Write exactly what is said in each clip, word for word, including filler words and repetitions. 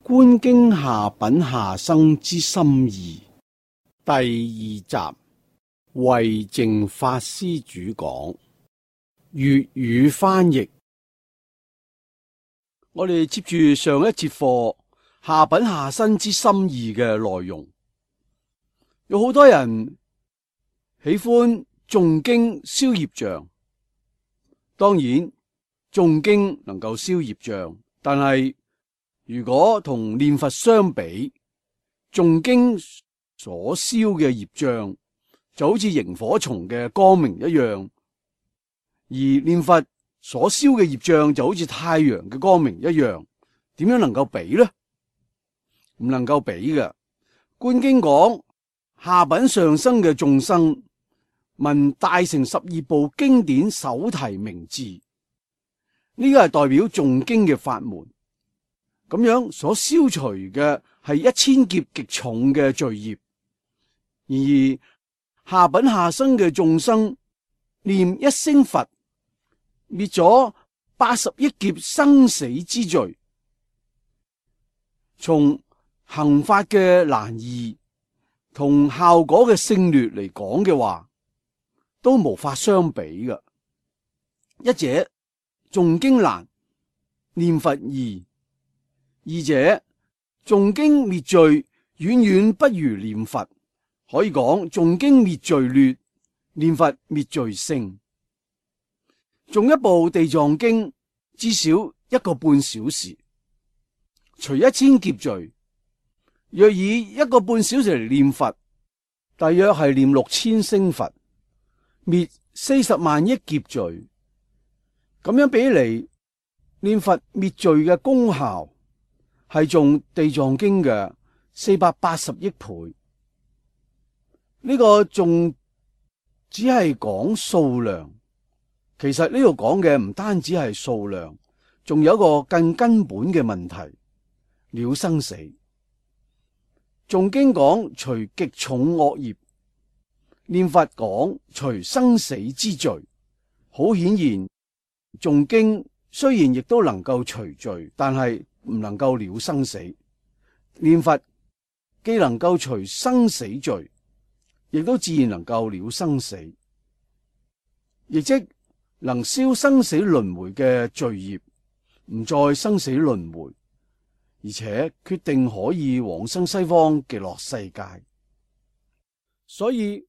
觀經下品下生之心意第二集，慧淨法師主講，粵語翻譯。我哋接住上一節課下品下生之心意嘅內容，有好多人喜歡誦經消業障。當然誦經能夠消業障，但係如果同念佛相比，誦經所消嘅業障就好似螢火蟲嘅光明一樣，而念佛所消嘅業障就好似太陽嘅光明一樣，點樣能夠比呢？唔能夠比嘅。觀經講下品上生嘅眾生聞大乘十二部經典手提名字，呢個係代表誦經嘅法門。咁樣所消除嘅係一千劫極重嘅罪業，然而下品下生嘅眾生念一聲佛，滅咗八十億劫生死之罪。從行法嘅難易同效果嘅勝劣嚟講嘅話，都無法相比嘅。一者誦經難，念佛易。二者誦經滅罪遠遠不如念佛，可以講誦經滅罪劣，念佛滅罪勝。誦一部地藏經至少一個半小時，除一千劫罪，若以一個半小時嚟念佛，大約係念六千聲佛，滅四十萬億劫罪。咁樣比嚟，念佛滅罪嘅功效係誦地藏經嘅四百八十億倍。呢個仲只係講數量，其實呢度講嘅唔單止係數量，仲有一個更根本嘅問題，了生死。誦經講除極重惡業，念佛講除生死之罪。好顯然，誦經雖然亦都能夠除罪，但係唔能夠了生死。念佛既能夠除生死罪，亦都自然能夠了生死，亦即能消生死輪迴嘅罪業，唔再生死輪迴，而且決定可以往生西方極樂世界。所以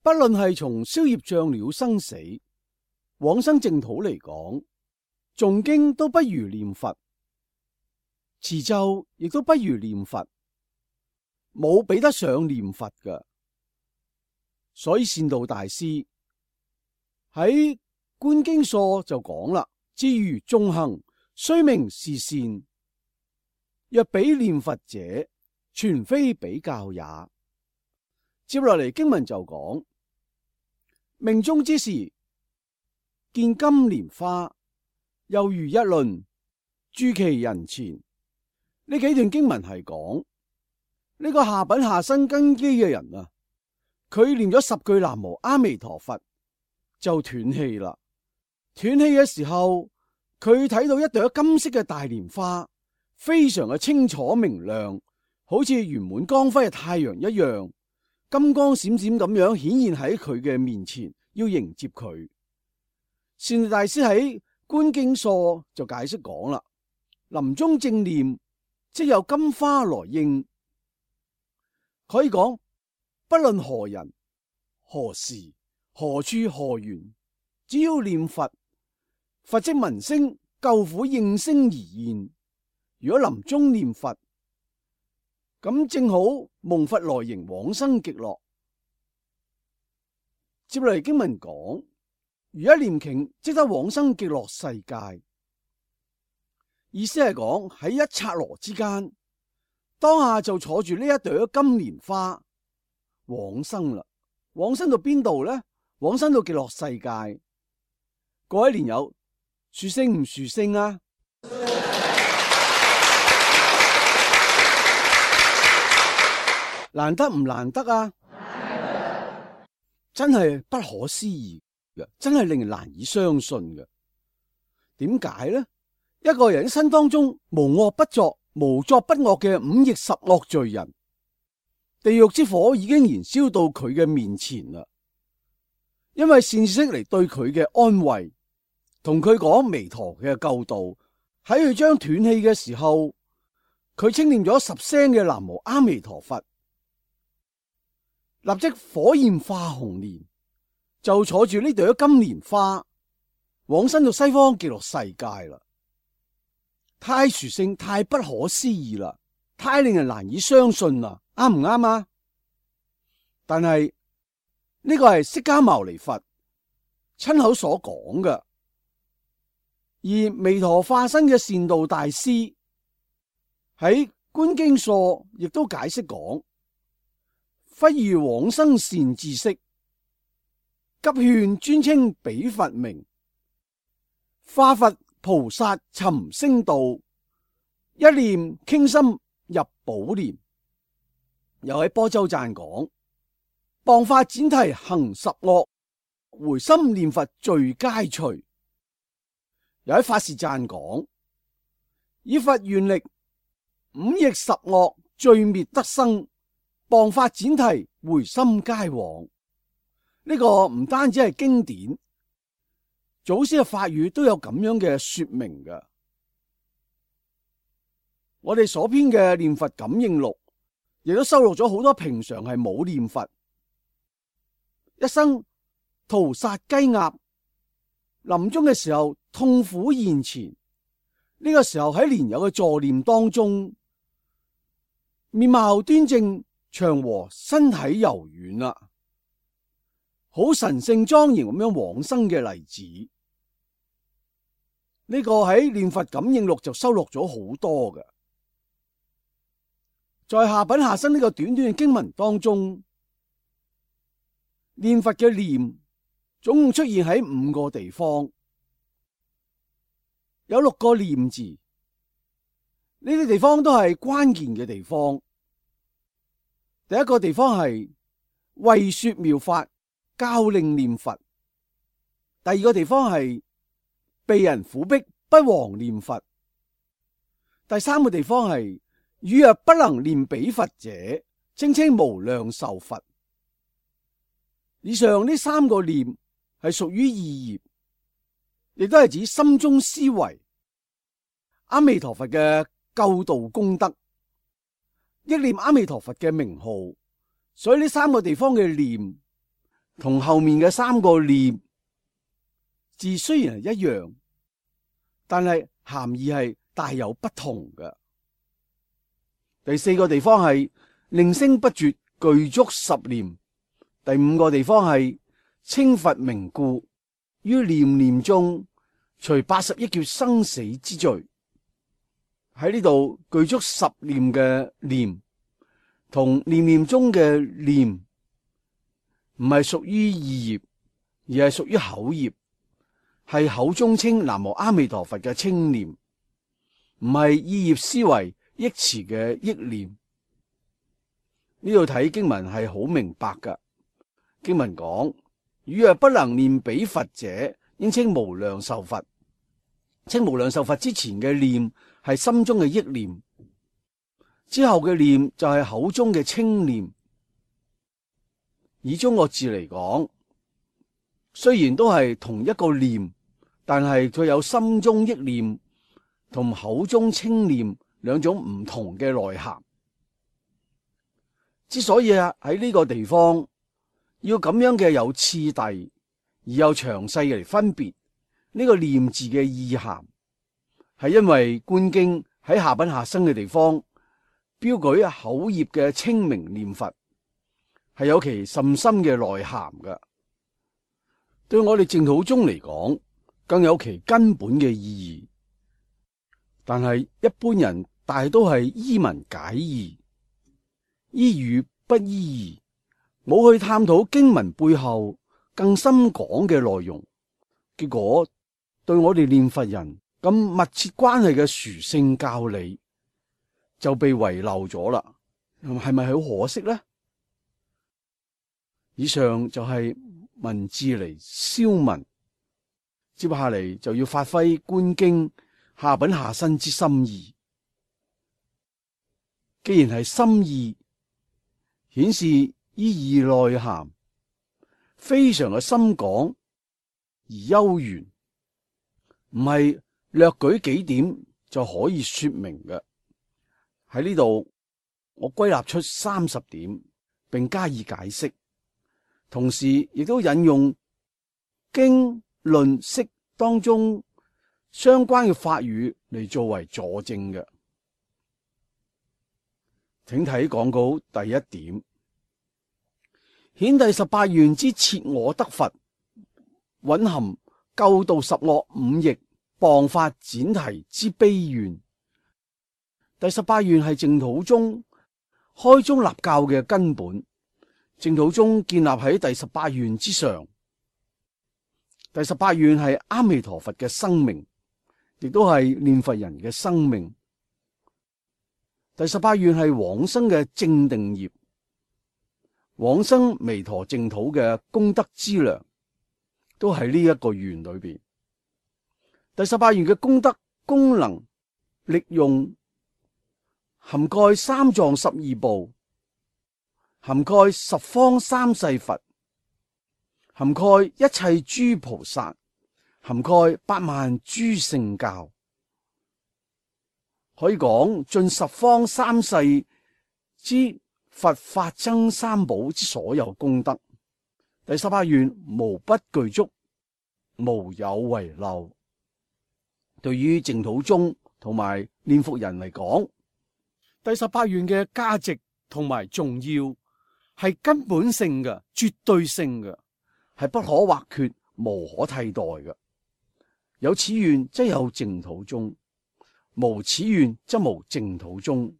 不論係從消業障了生死，往生淨土嚟講，誦經都不如念佛，持咒亦都不如念佛，冇比得上念佛㗎。所以善導大師喺觀經疏就講啦：至於眾行，雖名是善，若比念佛者，全非比較也。接落嚟經文就講：命終之時，見金蓮花，猶如一輪駐其人前。呢幾段經文係講呢個下品下生根基嘅人啊，佢念咗十句南無阿彌陀佛就斷氣啦。斷氣嘅時候，佢睇到一朵金色嘅大蓮花，非常嘅清楚明亮，好似圓滿光輝嘅太陽一樣，金光閃閃咁樣顯現喺佢嘅面前，要迎接佢。善導大師喺觀經疏就解釋講啦：臨終正念，即有金花來應。可以講，不論何人、何時、何處、何緣，只要念佛，佛即聞聲救苦應聲而現。如果臨終念佛，咁正好蒙佛來迎往生極樂。接嚟經文講：如一念頃，即得往生極樂世界。意思係講喺一剎那之間，當下就坐住呢一朵金蓮花往生啦。往生到邊度呢？往生到極樂世界。各位蓮友，殊勝唔殊勝啊？難得唔難得啊？真係不可思議嘅，真係令人難以相信嘅。點解呢？一個人一生當中無惡不作，無作不惡嘅五逆十惡罪人，地獄之火已經燃燒到佢嘅面前啦。因為善知識嚟對佢嘅安慰，同佢講彌陀嘅救度，喺佢將斷氣嘅時候，佢稱念咗十聲嘅南無阿彌陀佛，立即火焰化紅蓮，就坐住呢朵金蓮花往生到西方極樂世界啦。太殊勝，太不可思議啦，太令人難以相信啦，啱唔啱啊？但係呢個係釋迦牟尼佛親口所講嘅，而彌陀化身嘅善導大師喺觀經疏亦都解釋講，忽遇往生善知識，急勸專稱彼佛名，化佛菩薩尋聲道，一念傾心入寶蓮。又喺般舟讚講，謗法闡提行十惡，回心念佛罪皆除。又喺法事讚講，以佛願力，五逆十惡罪滅得生，謗法闡提回心皆往。呢、這個唔單止係經典，祖師嘅法語都有咁樣嘅說明嘅。我哋所編嘅念佛感應錄，亦都收錄咗好多平常係冇念佛，一生屠殺雞鴨，臨終嘅時候痛苦現前，呢、這個時候喺蓮友嘅助念當中，面貌端正祥和，身體柔軟啦，好神聖莊嚴咁樣往生嘅例子。呢個喺念佛感應錄就收錄咗好多嘅。在下品下生呢個短短嘅經文當中，念佛嘅念總共出現喺五個地方，有六個念字，呢啲地方都係關鍵嘅地方。第一個地方係為說妙法，教令念佛；第二個地方係被人苦逼，不忘念佛；第三個地方係汝若不能念彼佛者，稱稱無量壽佛。以上呢三個念係屬於意業，亦都係指心中思維阿彌陀佛嘅救度功德，憶念阿彌陀佛嘅名號。所以呢三個地方嘅念同後面嘅三個念字雖然係一樣，但係含義係大有不同嘅。第四個地方係令聲不絕，具足十念。第五個地方係稱佛名故，於念念中除八十億劫生死之罪。喺呢度具足十念嘅念，同念念中嘅念，唔係屬於意業，而係屬於口業，係口中稱南無阿彌陀佛嘅稱念，唔係意業思維憶詞嘅憶念。呢度睇經文係好明白噶。經文講，汝若不能念彼佛者，應稱無量壽佛。稱無量壽佛之前嘅念係心中嘅憶念，之後嘅念就係口中嘅稱念。以中國字嚟講，雖然都係同一個念，但係佢有心中憶念同口中稱念兩種唔同嘅內涵。之所以啊喺呢個地方要咁樣嘅有次第而又詳細嚟分別呢個念字嘅意涵，係因為觀經喺下品下生嘅地方標舉口業嘅稱名念佛，係有其甚深嘅內涵嘅。對我哋淨土宗嚟講，更有其根本嘅意義。但係一般人大都係依文解義，依語不依義，冇去探討經文背後更深講嘅內容，結果對我哋念佛人咁密切關係嘅殊勝教理就被遺漏咗啦，係咪好可惜呢？以上就係文字嚟消文，接下嚟就要發揮觀經下品下生之心意。既然係心意，顯示意義內涵非常嘅深廣而悠遠，唔係略舉幾點就可以說明嘅。喺呢度，我歸納出三十點，並加以解釋，同時亦都引用經論釋當中相關嘅法語嚟作為佐證嘅。請睇講稿第一點，顯第十八願之設我得佛，蘊含救度十惡五逆謗法闡提之悲願。第十八願係淨土宗開宗立教嘅根本，淨土宗建立喺第十八願之上。第十八願係阿彌陀佛嘅生命，亦都係念佛人嘅生命。第十八願係往生嘅正定業，往生彌陀淨土嘅功德資糧，都喺呢一個願裏邊。第十八願嘅功德、功能、力用，涵蓋三藏十二部，涵蓋十方三世佛，涵蓋一切諸菩薩，涵蓋八萬諸聖教，可以講盡十方三世之佛法僧三寶之所有功德。第十八願無不具足，無有遺漏。對於淨土宗同埋念佛人嚟講，第十八願嘅價值同埋重要係根本性嘅、絕對性嘅，係不可或缺、無可替代嘅。有此願則有淨土宗，無此願則無淨土宗。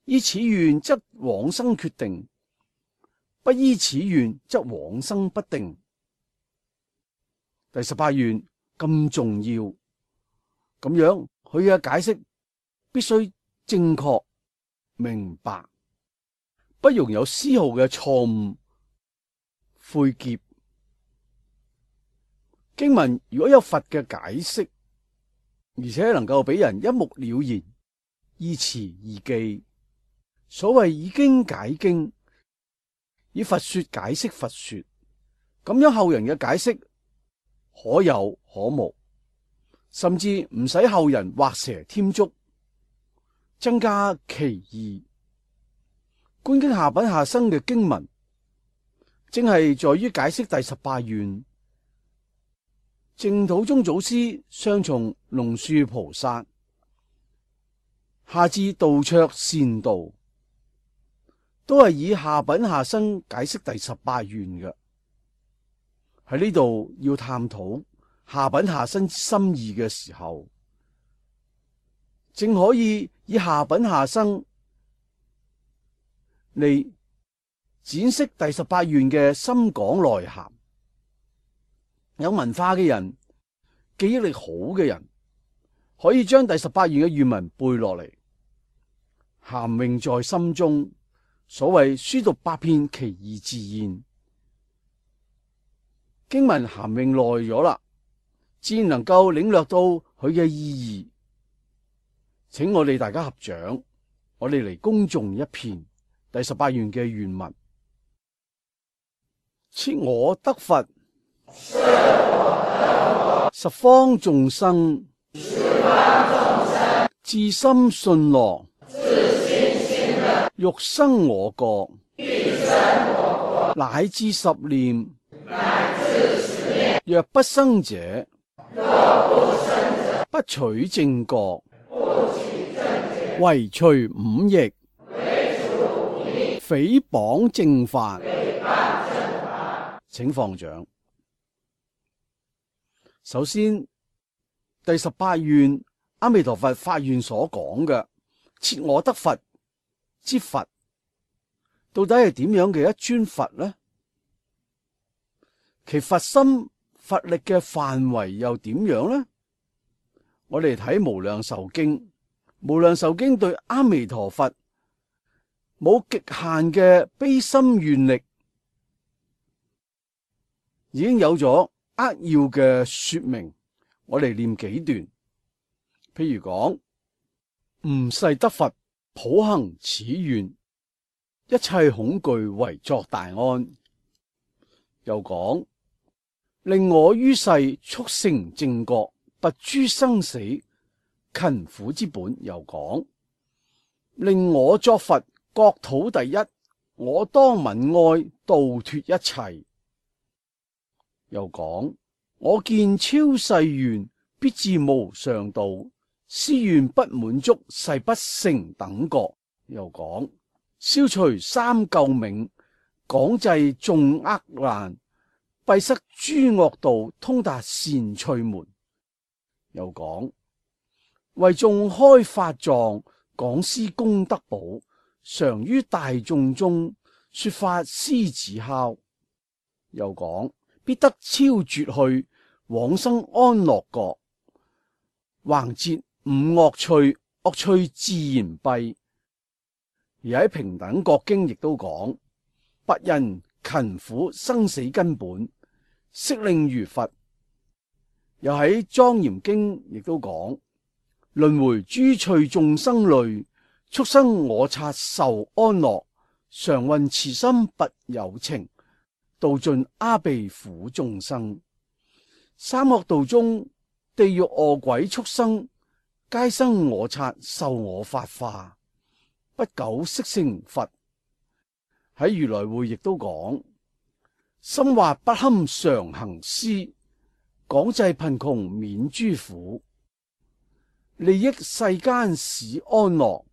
依此願則往生決定，不依此願則往生不定。第十八願咁重要，咁樣佢嘅解釋必須正確明白，不容有絲毫嘅錯誤晦澀。經文如果有佛嘅解釋，而且能夠俾人一目了然，依詞易記，所謂以經解經，以佛說解釋佛說，咁樣後人嘅解釋可有可無，甚至唔使後人畫蛇添足，增加其意。觀經下品下生嘅經文，正係在於解釋第十八願。淨土宗祖師上從龍樹菩薩，下至道綽善導，都係以下品下生解釋第十八願嘅。喺呢度要探討下品下生心意嘅時候，正可以以下品下生嚟展釋第十八願嘅深廣內涵。有文化嘅人，記憶力好嘅人，可以將第十八願嘅願文背落嚟，涵詠在心中。所謂書讀百遍，其義自現。經文涵詠耐咗啦，自然能夠領略到佢嘅意義。請我哋大家合掌，我哋嚟恭誦一遍第十八願嘅願文：設我得佛，十方眾生，至心信樂，欲生我國，乃至十念，若不生者，不取正覺，唯除五逆，誹謗正法。請放掌。首先，第十八願阿彌陀佛發願所講嘅設我得佛之佛，到底係點樣嘅一尊佛呢？其佛心佛力嘅範圍又點樣呢？我哋睇無量壽經，無量壽經對阿彌陀佛冇極限嘅悲心願力，已經有咗扼要嘅說明。我哋念幾段，譬如講，吾誓得佛，普行此願，一切恐懼為作大安。又講，令我於世速成正覺，拔諸生死勤苦之本。又講，令我作佛，國土第一，我當愍哀，度脫一切。又講，我見超世願，必至無上道，斯願不滿足，誓不成等覺。又講，消除三垢冥，廣濟眾厄難，閉塞諸惡道，通達善趣門。又講，為眾開法藏，廣施功德寶，常於大眾中說法獅子哮。又講，必得超絕去，往生安樂國，橫截五惡趣，惡趣自然閉。而喺平等覺經亦都講，拔人勤苦生死根本，悉令如佛。又喺莊嚴經亦都講，輪迴諸趣眾生類，速生我剎受安樂，常運慈心拔有情，度盡阿鼻苦眾生。三惡道中，地獄餓鬼畜生，皆生我剎受我法化，不久悉成佛。喺如來會亦都講，心惑不堪常行施，廣濟貧窮免諸苦，利益世間使安樂，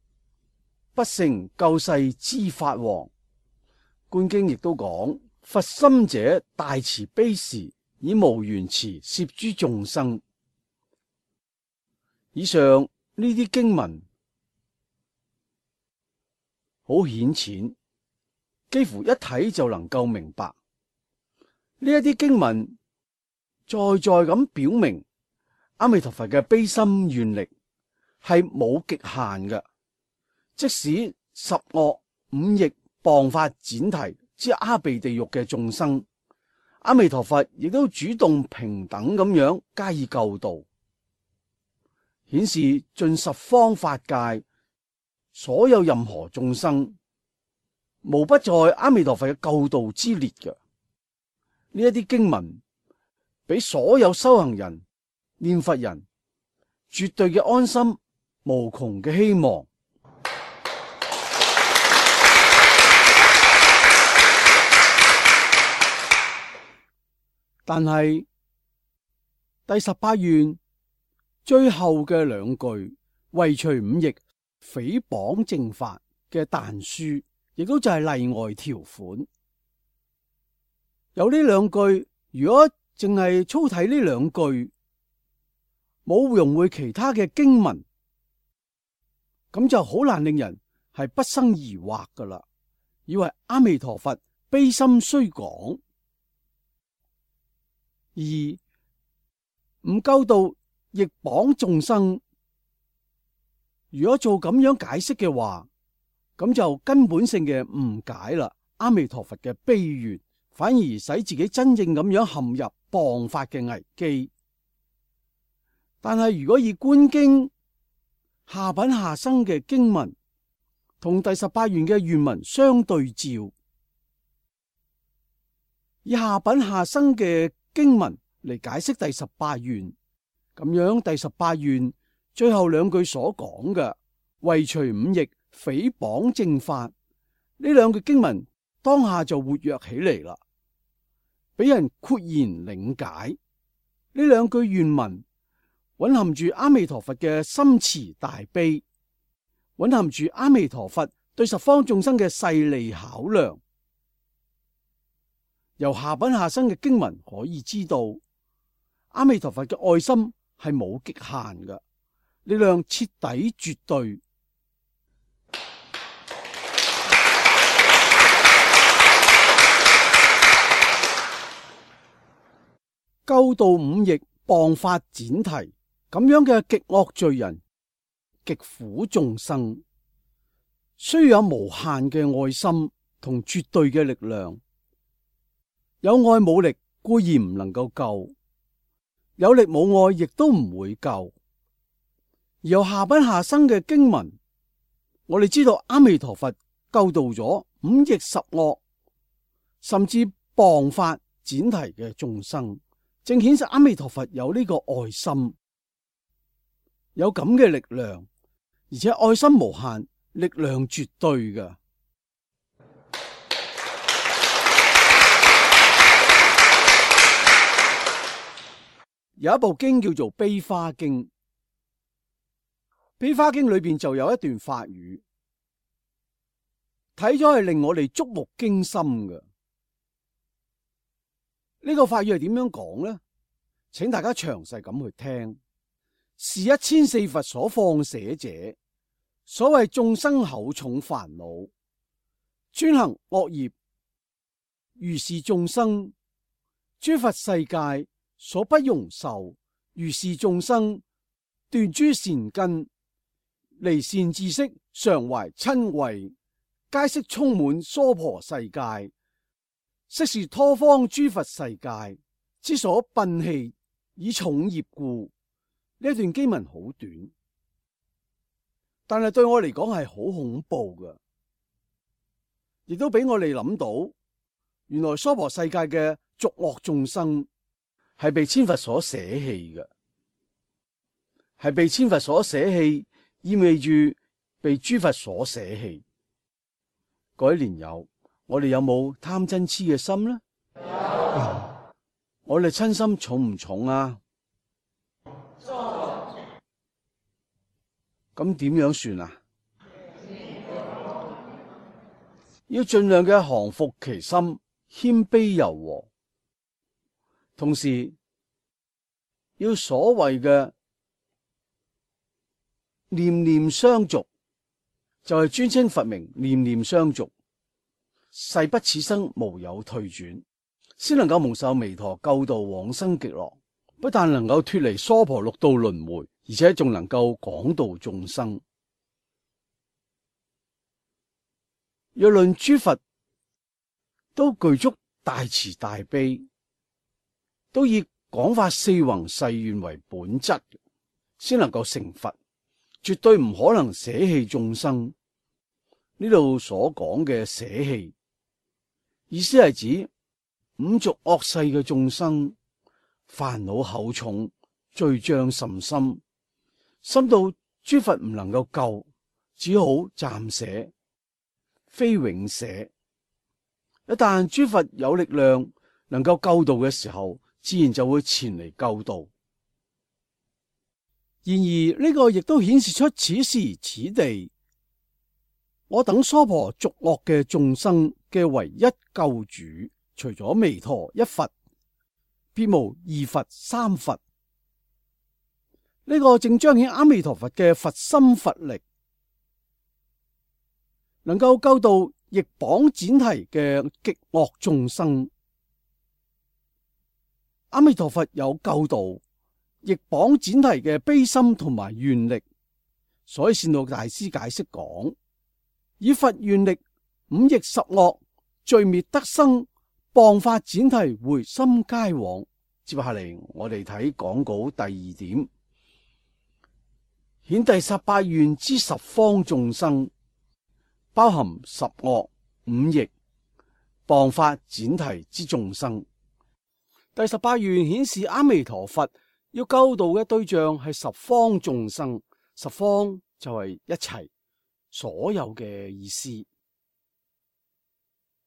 不成救世之法王。觀經亦都講，佛心者大慈悲時，以無緣慈攝諸眾生。以上呢啲經文好顯淺，幾乎一睇就能夠明白。呢一啲經文再再咁表明，阿彌陀佛嘅悲心願力係冇極限嘅。即使十惡五逆謗法闡提之阿鼻地獄嘅眾生，阿彌陀佛亦都主動平等咁樣加以救度，顯示盡十方法界所有任何眾生，無不在阿彌陀佛嘅救度之列嘅。呢一啲經文俾所有修行人、念佛人絕對嘅安心，無窮嘅希望。但係第十八願最後嘅兩句，唯除五逆，誹謗正法嘅但書，亦都就係例外條款。有呢兩句，如果淨係粗睇呢兩句，冇融會其他嘅經文，咁就好難令人係不生疑惑噶啦，以為阿彌陀佛悲心雖廣，而唔救度逆謗眾生。如果做咁樣解釋嘅話，咁就根本性嘅誤解啦。阿彌陀佛嘅悲願，反而使自己真正咁樣陷入謗法嘅危機。但係如果以觀經下品下生嘅經文同第十八願嘅願文相對照，以下品下生嘅經文嚟解釋第十八願，咁樣第十八願最後兩句所講嘅唯除五逆，誹謗正法，呢兩句經文當下就活躍起嚟啦，俾人豁然領解。呢兩句願文蘊含住阿彌陀佛嘅深慈大悲，蘊含住阿彌陀佛對十方眾生嘅勢利考量。由下品下生嘅經文可以知道，阿彌陀佛嘅愛心係冇極限嘅，力量徹底絕對。救度五逆謗法闡提，咁樣嘅極惡罪人、極苦眾生，需要有無限嘅愛心同絕對嘅力量。有愛冇力固然唔能夠救，有力冇愛亦都唔會救。而由下品下生嘅經文，我哋知道阿彌陀佛救度咗五逆十惡，甚至謗法闡提嘅眾生，正顯示阿彌陀佛有呢個愛心，有咁嘅力量，而且愛心無限，力量絕對嘅。有一部經叫做《悲華經》，《悲華經》裏邊就有一段法語，睇咗係令我哋觸目驚心嘅。呢個法語係點樣講呢？請大家詳細咁去聽。是一千四佛所放捨者，所謂眾生厚重煩惱，專行惡業，如是眾生，諸佛世界所不容受，如是眾生斷諸善根，離善知識，常懷瞋恚，皆悉充滿娑婆世界，悉是他方諸佛世界之所擯棄，以重業故。呢一段經文好短，但係對我嚟講係好恐怖嘅，亦都俾我哋諗到，原來娑婆世界嘅俗惡眾生係被千佛所捨棄嘅，係被千佛所捨棄，意味住被諸佛所捨棄。各位蓮友，我哋有冇貪嗔癡嘅心呢？有。我哋嗔心重唔重啊？咁點樣算啊？要盡量嘅降伏其心，謙卑柔和，同時要所謂嘅念念相續，就係尊稱佛名，念念相續，誓不此生無有退轉，先能夠蒙受彌陀救度往生極樂。不但能夠脫離娑婆六道輪迴，而且仲能夠廣度眾生。若論諸佛都具足大慈大悲，都以廣發四弘誓願為本質，先能夠成佛，絕對唔可能捨棄眾生。呢度所講嘅捨棄，意思係指五濁惡世嘅眾生，煩惱厚重，罪障甚深，深到諸佛唔能夠救，只好暫捨，非永捨。一旦諸佛有力量能夠救度嘅時候，自然就會前嚟救度。然而呢個亦都顯示出此時此地，我等娑婆濁惡嘅眾生嘅唯一救主，除咗彌陀一佛，別無二佛三佛。呢個正彰顯阿彌陀佛嘅佛心佛力，能夠救度逆綁闡提嘅極惡眾生。阿彌陀佛有救度逆綁闡提嘅悲心同埋願力，所以善導大師解釋講：以佛願力，五逆十惡罪滅得生，謗法闡提回心皆往。接下嚟我哋睇講稿第二點，顯第十八願之十方眾生，包含十惡五逆謗法闡提之眾生。第十八願顯示阿彌陀佛要救度嘅對象係十方眾生，十方就係一切所有嘅意思。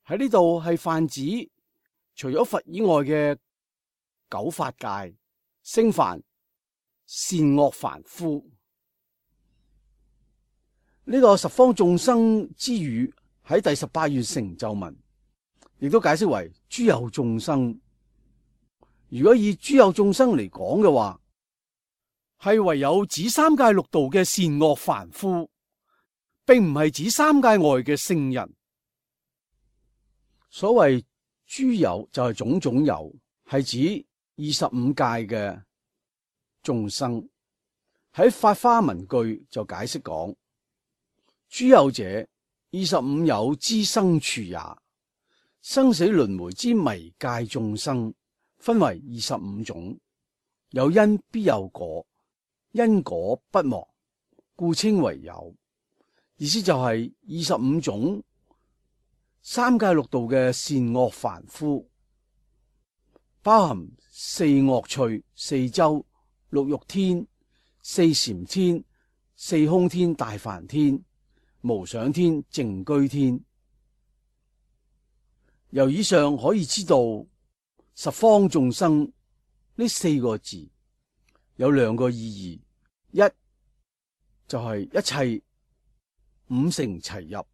喺呢度係泛指除咗佛以外嘅九法界、聲梵、善惡凡夫。呢、這個十方眾生之語喺第十八願成就文，亦都解釋為諸有眾生。如果以諸有眾生嚟講嘅話，係唯有指三界六道嘅善惡凡夫，並唔係指三界外嘅聖人。所謂諸有就係種種有，係指二十五界嘅眾生。喺法華文句就解釋講：諸有者，二十五有之生處也。生死輪迴之迷界眾生，分為二十五種，有因必有果，因果不亡，故稱為有。意思就係二十五種三界六道嘅善惡凡夫，包含四惡趣、四洲、六欲天、四禪天、四空天、大梵天、無想天、淨居天。由以上可以知道，十方眾生呢四個字有兩個意義，一就係一切五乘齊入，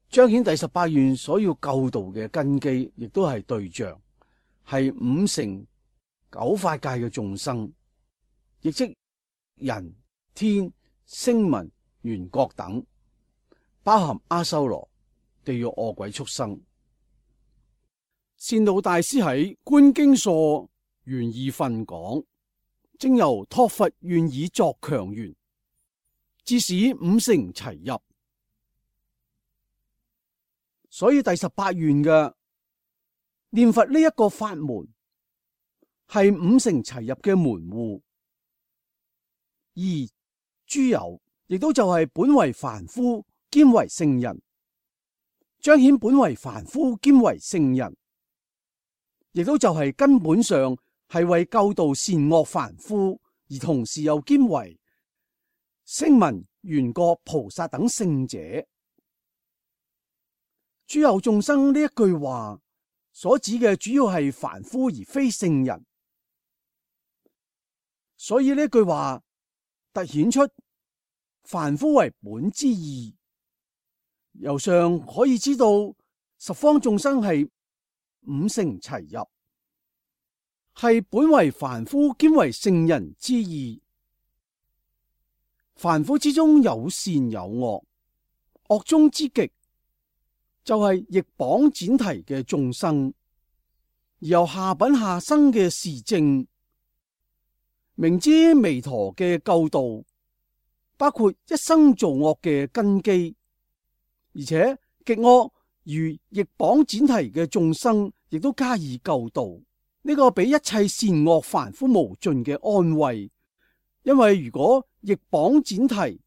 彰顯第十八願所要救度嘅根基，亦都係對象，係五乘九法界嘅眾生，亦即人、天、聲聞、緣覺等，包含阿修羅、地獄、餓鬼、畜生。善導大師喺《觀經疏》緣二分講，正由託佛願以作強緣，致使五乘齊入。所以第十八願嘅念佛呢一個法門係五乘齊入嘅門戶。而諸有亦都就係本為凡夫兼為聖人，彰顯本為凡夫兼為聖人，亦都就係根本上係為救度善惡凡夫，而同時又兼為聲聞、緣覺、菩薩等聖者。諸有眾生呢一句話所指嘅主要係凡夫而非聖人，所以呢句話凸顯出凡夫為本之意。由上可以知道，十方眾生係五乘齊入，係本為凡夫兼為聖人之意。凡夫之中有善有惡，惡中之極就係逆綁剪提嘅眾生，而由下品下生嘅示證，明知彌陀嘅救度包括一生造惡嘅根基，而且極惡如逆綁剪提嘅眾生亦都加以救度，呢、這個俾一切善惡凡夫無盡嘅安慰。因為如果逆綁剪提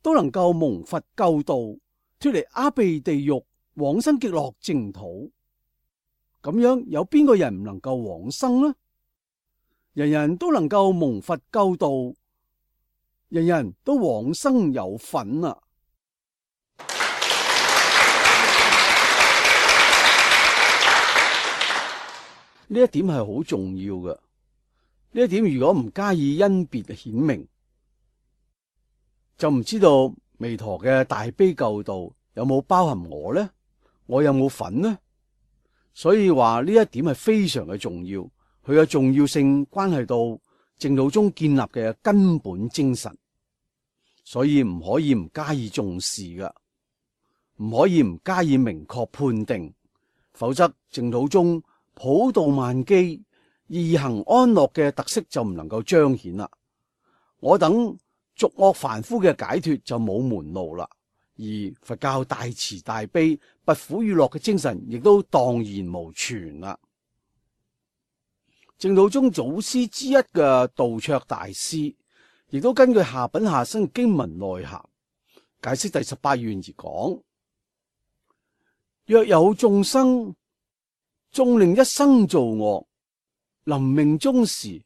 都能夠蒙佛救度，脫離阿鼻地獄，往生極樂淨土，咁樣有邊個人唔能夠往生呢？人人都能夠蒙佛救度，人人都往生有份啊！呢一點係好重要嘅。呢一點如果唔加以因別顯明，就唔知道彌陀嘅大悲救度有冇包含我呢？我有冇份呢？所以話呢一點係非常嘅重要，佢嘅重要性關係到淨土宗建立嘅根本精神，所以唔可以唔加以重視㗎，唔可以唔加以明確判定，否則淨土宗普度萬機、易行安樂嘅特色就唔能夠彰顯啦。我等俗惡凡夫嘅解脫就冇門路啦，而佛教大慈大悲、拔苦與樂嘅精神亦都蕩然無存啦。淨土宗祖師之一嘅道綽大師，亦都根據下品下生經文內涵解釋第十八願而講：若有眾生縱令一生造惡，臨命終時，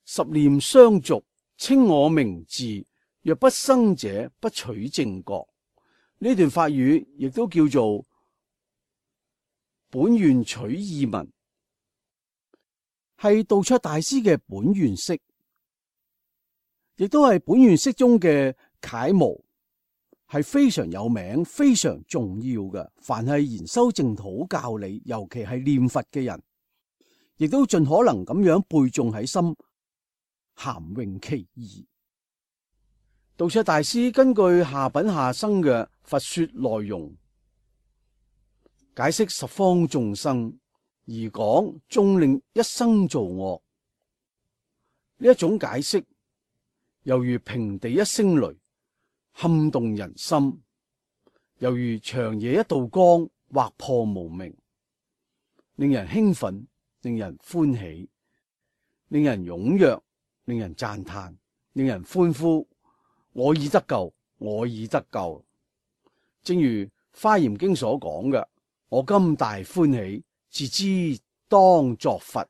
十念相續，稱我名字，若不生者，不取正覺。呢段法語亦都叫做本願取意文，係道綽大師嘅本願釋，亦都係本願釋中嘅楷模，係非常有名、非常重要嘅。凡係研修淨土教理，尤其係念佛嘅人，亦都盡可能咁樣背誦喺心，涵詠其義。道綽大師根據下品下生嘅佛說內容，解釋十方眾生而講縱令一生造惡呢一種解釋，猶如平地一聲雷，撼動人心；猶如長夜一道光，劃破無明，令人興奮，令人歡喜，令人踴躍，令人讚嘆，令人歡呼。我已得救，我已得救。正如《華嚴經》所講嘅，我今大歡喜，自知當作佛。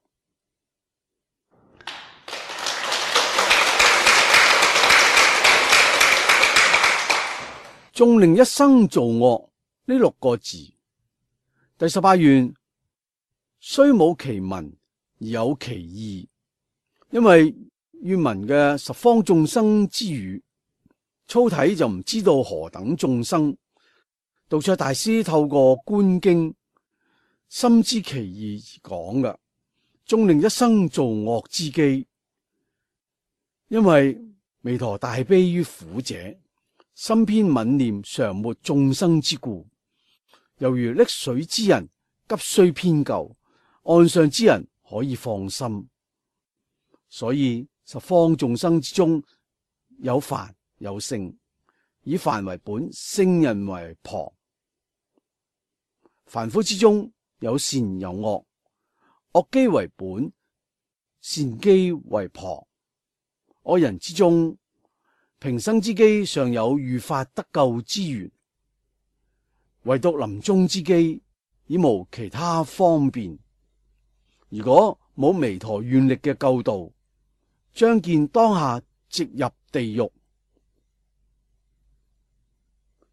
縱令一生造惡呢六個字，第十八願雖冇其文而有其義，因為願文嘅十方眾生之語，粗體就唔知道何等眾生。道卓大師透過觀經，深知其義而講嘅，縱令一生造惡之機。因為彌陀大悲於苦者，心偏憫念常沒眾生之故，猶如溺水之人急需編救，岸上之人可以放心。所以十方眾生之中有凡有聖，以凡為本，聖人為旁。凡夫之中有善有惡，惡機為本，善機為旁。惡人之中，平生之機尚有遇法得救之緣，唯獨臨終之機已無其他方便。如果冇彌陀願力嘅救度，將見當下直入地獄。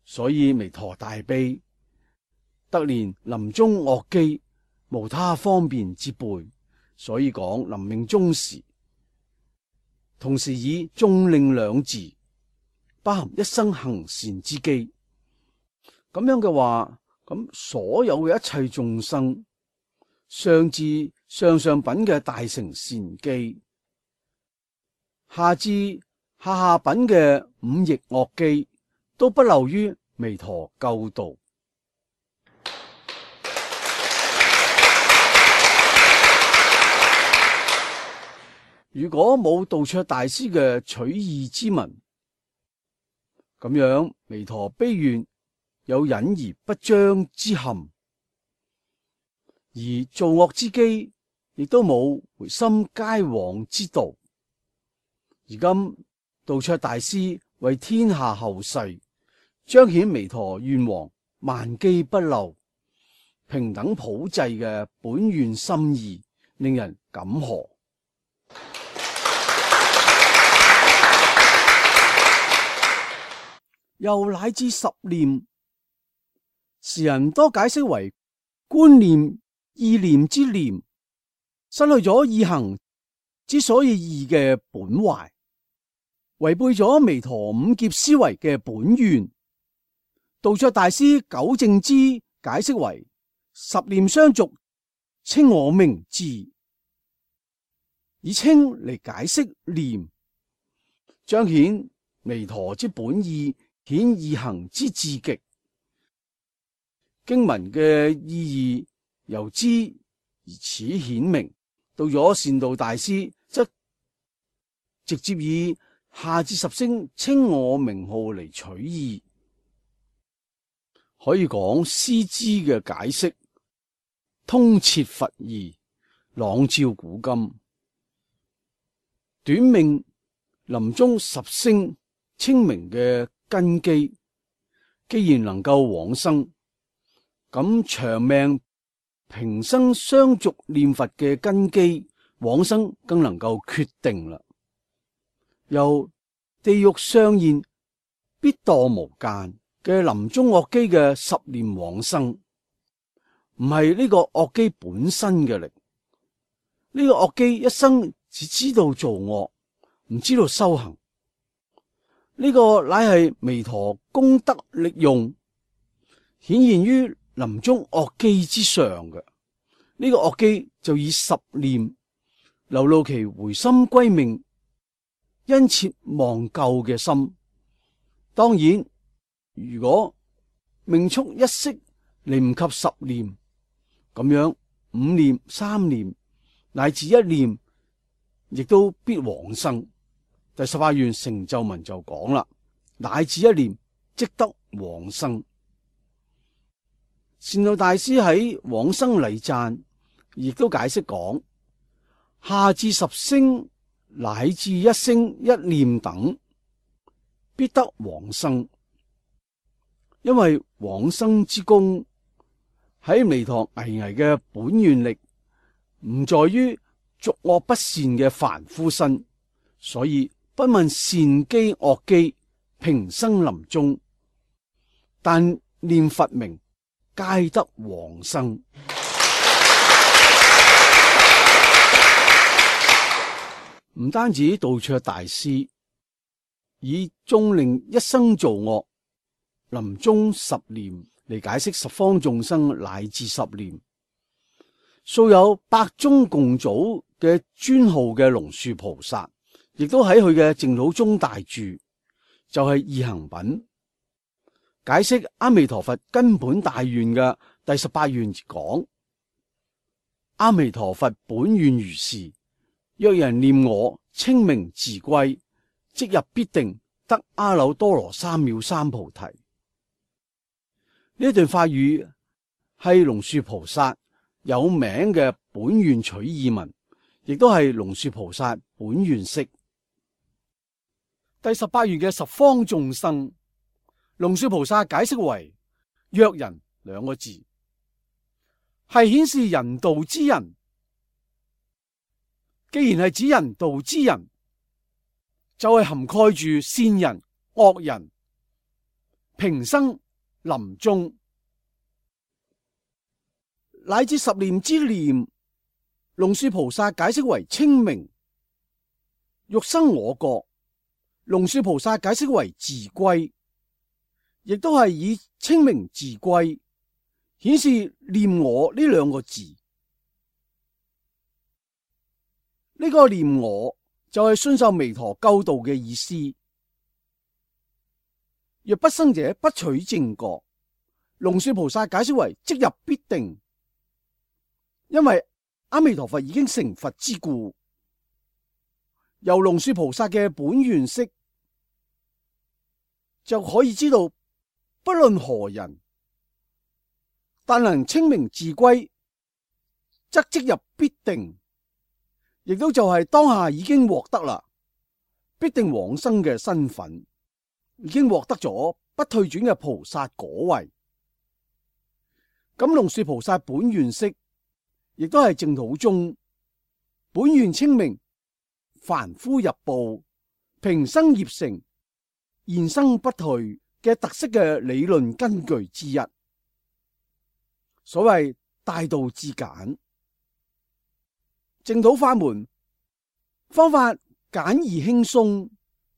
所以彌陀大悲，得憐臨終惡機無他方便之輩，所以講臨命終時，同時以縱令兩字，包含一生行善之機。咁樣嘅話，咁所有嘅一切眾生，上至上上品嘅大乘善機，下至下下品嘅五逆惡機，都不漏於彌陀救度。如果冇道卓大師嘅取義之文，咁樣彌陀悲願有隱而不彰之憾，而造惡之機亦都冇回心皆往之道。而今道卓大師為天下後世彰顯彌陀願王萬機不漏、平等普濟嘅本願心意，令人感何。又乃至十念，時人多解釋為觀念、意念之念，失去咗意行之所以義嘅本懷，違背咗彌陀五劫思維嘅本願。道卓大師糾正之，解釋為十念相續，稱我名字，以稱嚟解釋念，彰顯彌陀之本意，顯意行之至極。經文嘅意義由之而始顯明。到咗善導大師，則直接以下至十聲稱我名號嚟取意，可以講師之嘅解釋通徹佛義，朗照古今。短命臨終十聲稱名嘅根基，既然能夠往生，咁長命平生相續念佛嘅根基，往生更能夠決定啦。由地獄相現必墮無間嘅臨終惡機嘅十念往生，唔係呢個惡機本身嘅力。呢、這個惡機一生只知道做惡，唔知道修行。呢個乃係彌陀功德力用，顯現於臨終惡機之上嘅。呢個惡機就以十念流露其回心歸命、殷切望救嘅心。當然，如果命速一息嚟唔及十念，咁樣五念、三念乃至一念，亦都必往生。第十八願成就文就講啦，乃至一念即得往生。善導大師喺往生禮讚亦都解釋講，下至十聲乃至一聲一念等，必得往生。因為往生之功喺彌陀巍巍嘅本願力，唔在於作惡不善嘅凡夫身，所以不問善機惡機，平生臨終，但念佛名，皆得往生。唔單止道綽大師以縱令一生造惡，臨終十念嚟解釋十方眾生乃至十念，素有百宗共祖嘅尊號嘅龍樹菩薩，亦都喺佢嘅淨土宗大著，就係、是、易行品，解釋阿彌陀佛根本大願嘅第十八願講：阿彌陀佛本願如是，若人念我稱名自歸，即日必定得阿耨多羅三藐三菩提。呢一段法語係龍樹菩薩有名嘅本願取意文，亦都係龍樹菩薩本願釋。第十八願嘅十方眾生，龍樹菩薩解釋為若人兩個字，係顯示人道之人。既然係指人道之人，就係、是、涵蓋住善人、惡人、平生、臨終，乃至十念之念。龍樹菩薩解釋為稱名，欲生我國。龍樹菩薩解釋為自歸，亦都係以稱名自歸顯示念我呢兩個字。呢、這個念我就係信受彌陀救度嘅意思。若不生者不取正覺，龍樹菩薩解釋為即入必定，因為阿彌陀佛已經成佛之故。由龍樹菩薩嘅本願釋就可以知道，不論何人，但能稱名自歸，則即入必定。亦都就係當下已經獲得啦，必定往生嘅身份，已經獲得咗不退轉嘅菩薩果位。咁龍樹菩薩本願釋，亦都係淨土宗本願稱名，凡夫入報，平生業成，現生不退嘅特色嘅理論根據之一。所謂大道至簡。淨土法門方法簡易輕鬆，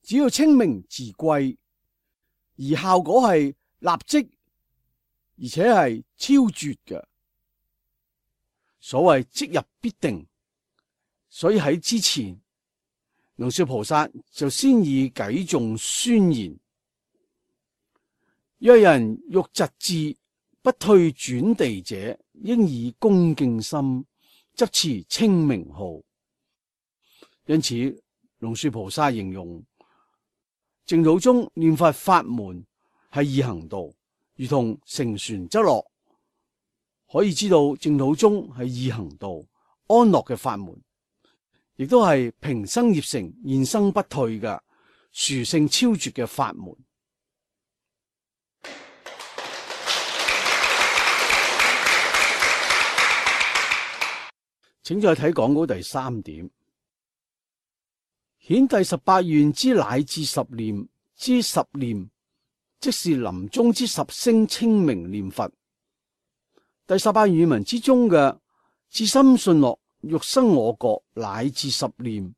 只要稱名自歸，而效果係立即而且係超絕嘅。所謂即入必定，所以喺之前龍樹菩薩就先以偈頌宣言：若人欲疾至不退轉地者，應以恭敬心執持稱名號。因此，龍樹菩薩形容淨土中念佛法門係易行道，如同乘船則樂。可以知道淨土中係易行道、安樂嘅法門，亦都係平生業成、現生不退嘅殊勝超絕嘅法門。請再睇講稿第三點，顯第十八願之乃至十念之十念，即是臨終之十聲稱名念佛。第十八願文之中嘅至心信樂欲生我國乃至十念，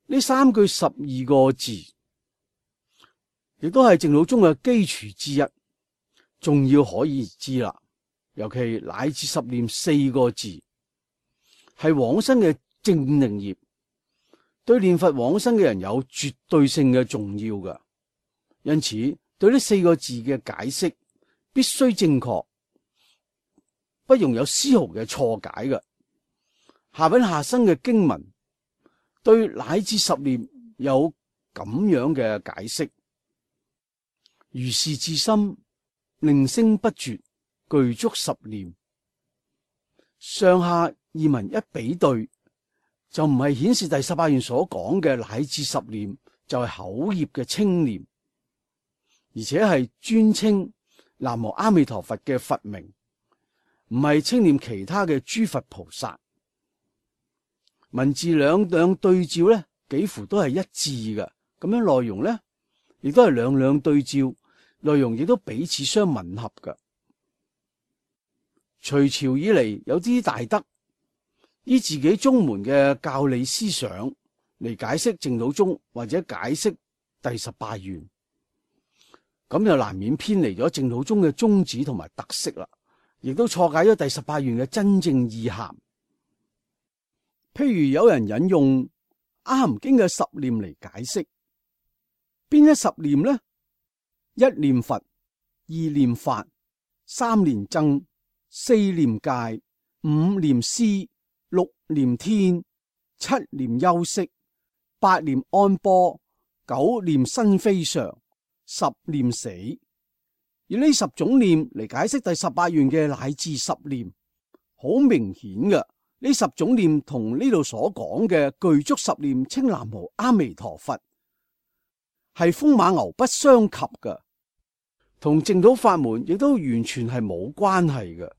呢三句十二個字，亦都係淨土宗嘅基礎之一，重要可以知啦。尤其乃至十念四個字，係往生嘅正定業，對念佛往生嘅人有絕對性嘅重要嘅。因此，對呢四個字嘅解釋必須正確，不容有絲毫嘅錯解嘅。下品下生嘅經文對乃至十念有咁樣嘅解釋：如是至心，令聲不絕，具足十念。上下二文一比對，就唔係顯示第十八願所講嘅乃至十念就係口業嘅稱念，而且係專稱南無阿彌陀佛嘅佛名，唔係稱念其他嘅諸佛菩薩。文字兩兩對照咧，幾乎都係一致嘅。咁樣內容咧，亦都係兩兩對照，內容亦都彼此相吻合嘅。隋朝以嚟，有啲大德以自己宗門嘅教理思想嚟解釋淨土宗或者解釋第十八願，咁就難免偏離咗淨土宗嘅宗旨同埋特色啦，亦都錯解咗第十八願嘅真正意涵。譬如有人引用《阿含經》嘅十念嚟解釋，邊一十念呢？一念佛，二念法，三念僧，四念戒，五念施，六念天，七念休息，八念安般，九念身非常，十念死。以呢十種念嚟解釋第十八願嘅乃至十念，好明顯嘅。呢十種念同呢度所講嘅具足十念稱南無阿彌陀佛係風馬牛不相及嘅，同淨土法門亦都完全係冇關係嘅。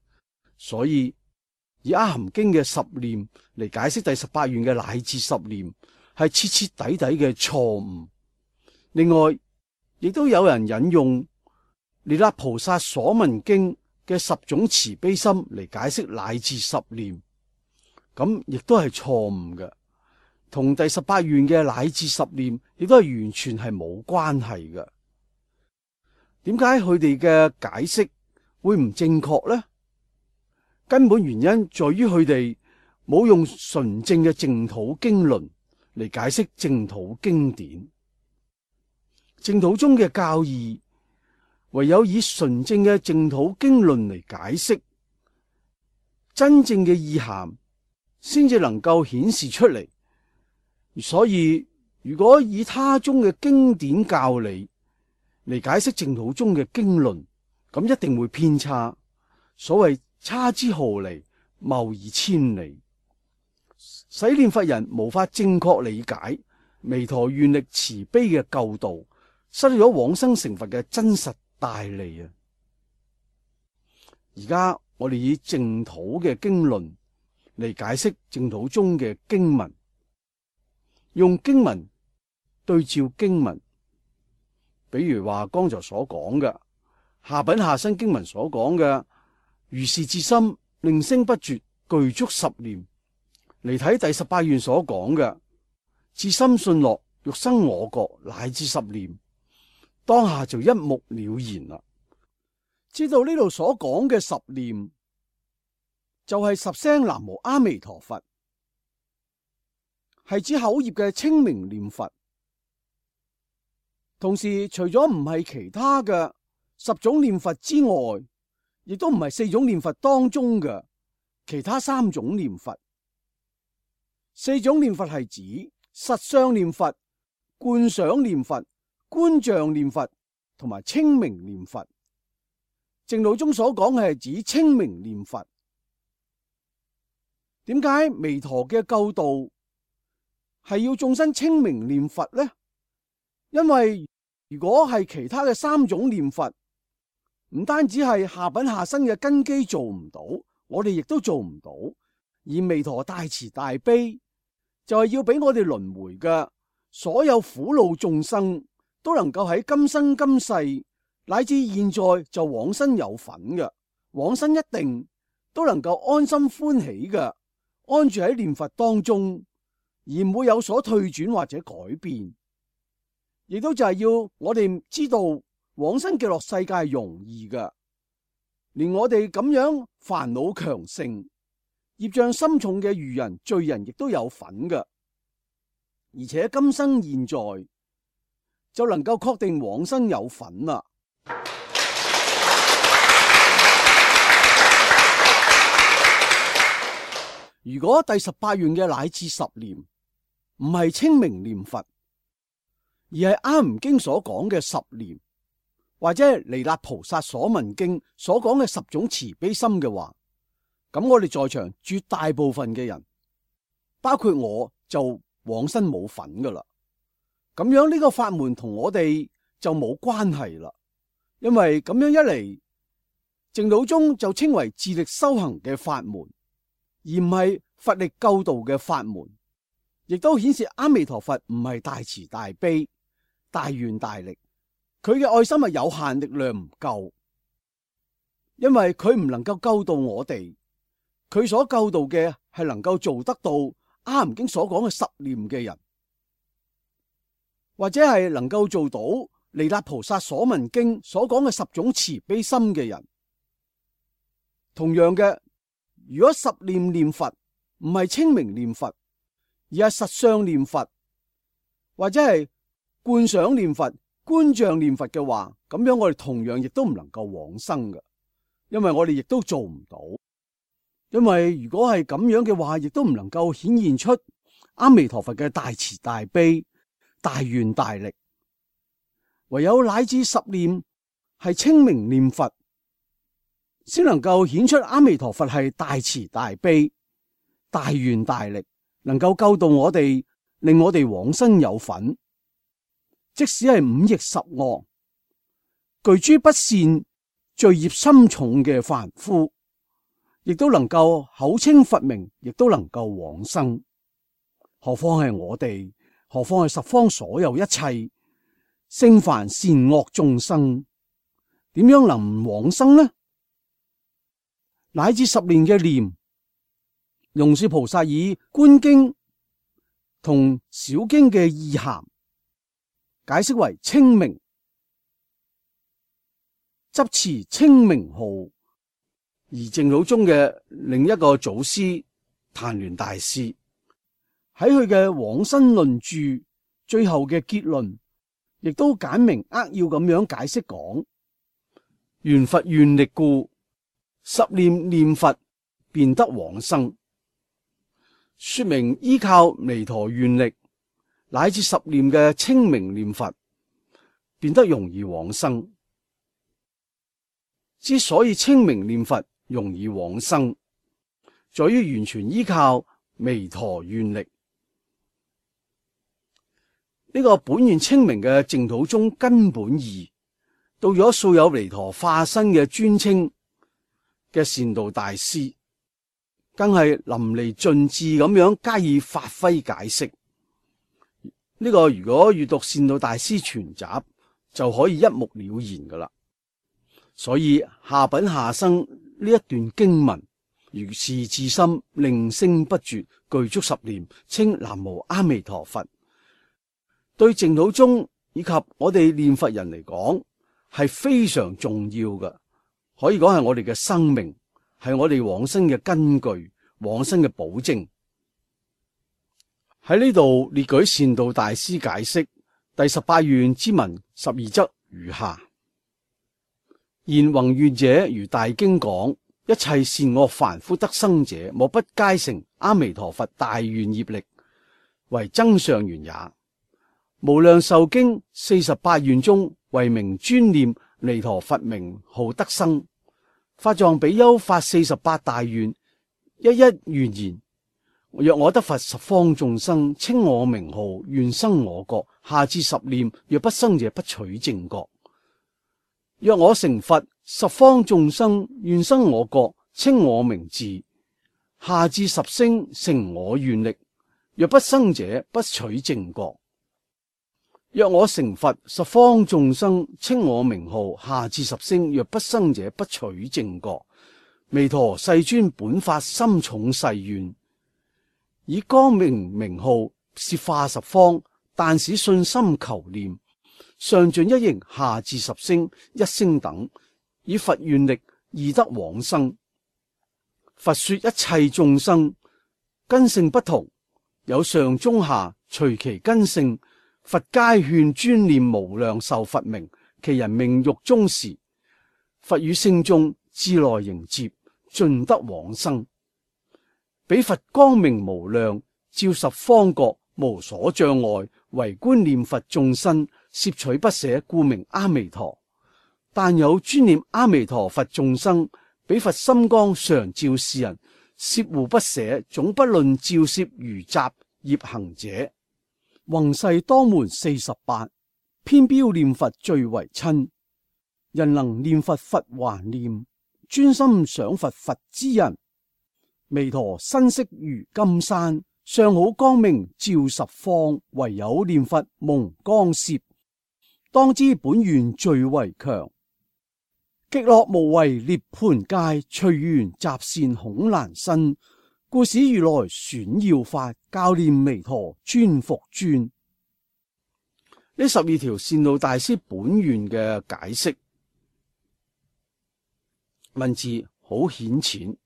所以以阿含經嘅十念嚟解釋第十八願嘅乃至十念係徹徹底底嘅錯誤。另外，亦都有人引用彌勒菩薩所聞經嘅十種慈悲心嚟解釋乃至十念。咁亦都係錯誤嘅，同第十八願嘅乃至十念亦都係完全係冇關係嘅。點解佢哋嘅解釋會唔正確呢？根本原因在於佢哋冇用純正嘅淨土經論嚟解釋淨土經典。淨土中嘅教義唯有以純正嘅淨土經論嚟解釋，真正嘅意涵先至能夠顯示出嚟。所以如果以他宗嘅經典教理嚟解釋淨土中嘅經論，咁一定會偏差。所謂差之毫厘，謬以千里，使念佛人無法正確理解彌陀願力慈悲嘅救道，失去咗往生成佛嘅真實大利啊！而家我哋以淨土嘅經論嚟解釋淨土中嘅經文，用經文對照經文，比如話剛才所講嘅下品下生經文所講嘅如是至心令聲不絕具足十念，嚟睇第十八願所講嘅至心信樂欲生我國乃至十念，當下就一目了然啦。知道呢度所講嘅十念就係十聲南無阿彌陀佛，係指口業嘅清明念佛。同時除咗唔係其他嘅十種念佛之外，亦都唔係四種念佛當中嘅其他三種念佛。四種念佛係指實相念佛、觀想念佛、觀像念佛同埋清明念佛。淨土中所講嘅係指清明念佛。點解彌陀嘅救度係要眾生清明念佛呢？因為如果係其他嘅三種念佛，唔單止係下品下生嘅根基做唔到，我哋亦都做唔到。而彌陀大慈大悲就係要俾我哋輪迴嘅所有苦惱眾生都能夠喺今生今世乃至現在就往生有份嘅，往生一定都能夠安心歡喜嘅，安住喺念佛當中，而唔會有所退轉或者改變。亦都就係要我哋知道往生極樂世界係容易嘅，連我哋咁樣煩惱強盛、業障深重嘅愚人罪人亦都有份嘅，而且今生現在就能夠確定往生有份啦。如果第十八願嘅乃至十念唔係清明念佛，而係阿含經所講嘅十念，或者彌勒菩薩所聞經所講嘅十種慈悲心嘅話，咁我哋在場絕大部分嘅人，包括我就往生冇份噶啦。咁樣呢個法門同我哋就冇關係啦。因為咁樣一嚟，淨土宗就稱為自力修行嘅法門，而唔係佛力救度嘅法門，亦都顯示阿彌陀佛唔係大慈大悲、大願大力，佢嘅愛心係有限，力量唔夠，因為佢唔能夠救度我哋，佢所救度嘅係能夠做得到阿含經所講嘅十念嘅人，或者係能夠做到彌勒菩薩所聞經所講嘅十種慈悲心嘅人。同樣嘅，如果十念念佛唔係清明念佛，而係實相念佛，或者係觀想念佛、觀像念佛嘅話，咁樣我哋同樣亦都唔能夠往生嘅，因為我哋亦都做唔到。因為如果係咁樣嘅話，亦都唔能夠顯現出阿彌陀佛嘅大慈大悲、大願大力。唯有乃至十念係清明念佛，先能夠顯出阿彌陀佛係大慈大悲、大願大力，能夠救度我哋，令我哋往生有份。即使係五逆十惡、具諸不善、罪孽深重嘅凡夫，亦都能夠口稱佛名，亦都能夠往生。何況係我哋，何況係十方所有一切聖凡善惡眾生，點樣能唔往生呢？乃至十年嘅念，龍樹菩薩以觀經同小經嘅意涵解釋為清明，執持清明號。而淨土宗嘅另一個祖師曇鸞大師喺佢嘅往生論著最後嘅結論，亦都簡明扼要咁樣解釋講：緣佛願力故，十念念佛便得往生。說明依靠彌陀願力乃至十念嘅清明念佛，變得容易往生。之所以清明念佛容易往生，在於完全依靠彌陀願力。呢、這個本願清明嘅淨土宗根本義，到咗素有彌陀化身嘅尊稱嘅善導大師，更係淋漓盡致咁樣加以發揮解釋。呢、這個如果閱讀善導大師全集，就可以一目了然噶啦。所以下品下生呢一段經文，如是至心令聲不絕，具足十念，稱南無阿彌陀佛。對淨土宗以及我哋念佛人嚟講，係非常重要嘅，可以講係我哋嘅生命，係我哋往生嘅根據，往生嘅保證。喺呢度列舉善導大師解釋第十八願之文十二則如下：言宏願者，如大經講，一切善惡凡夫得生者，莫不皆成阿彌陀佛大願業力，為增上緣也。無量壽經四十八願中，唯名專念彌陀佛名號得生。法藏比丘發四十八大願，一一願言：若我得佛十方眾生，稱我名號，願生我國。下至十念，若不生者，不取正覺。若我成佛，十方眾生願生我國，稱我名字。下至十聲，成我願力。若不生者，不取正覺。若我成佛，十方眾生稱我名號。下至十聲，若不生者，不取正覺。彌陀世尊本發深重誓願，以光明名號攝化十方，但使信心求念。上盡一形，下至十聲一聲等，以佛願力易得往生。佛說一切眾生根性不同，有上中下，隨其根性，佛皆勸專念無量壽佛名。其人命欲終時，佛與聖眾自來迎接，盡得往生。彼佛光明無量，照十方國，無所障礙，唯觀念佛眾生，攝取不捨，故名阿彌陀。但有專念阿彌陀佛眾生，彼佛心光常照世人，攝護不捨，總不論照攝如雜業行者。宏誓當門四十八，偏標念佛最為親。人能念佛，佛還念，專心想佛，佛之人。彌陀身色如金山，相好光明照十方。唯有念佛蒙光攝，當知本願最為強。極樂無為涅槃界，隨緣集善恐難生。故使如來選要法，教念彌陀尊復尊。呢十二條善導大師本願嘅解釋，文字好顯淺，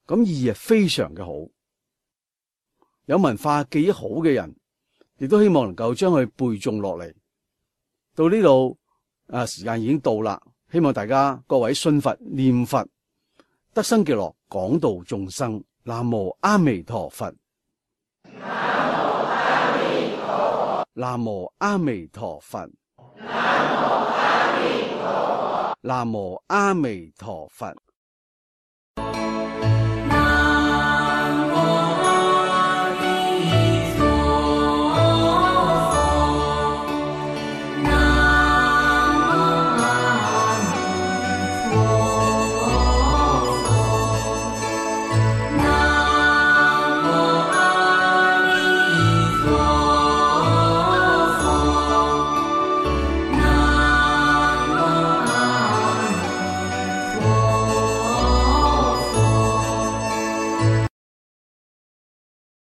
咁意義係非常嘅好。有文化記憶好嘅人，亦都希望能夠將佢背誦落嚟。到呢度啊，時間已經到啦，希望大家各位信佛念佛，得生極樂，廣度眾生。南無阿彌陀佛。南無阿彌陀佛。南無阿彌陀佛。南無阿彌陀佛。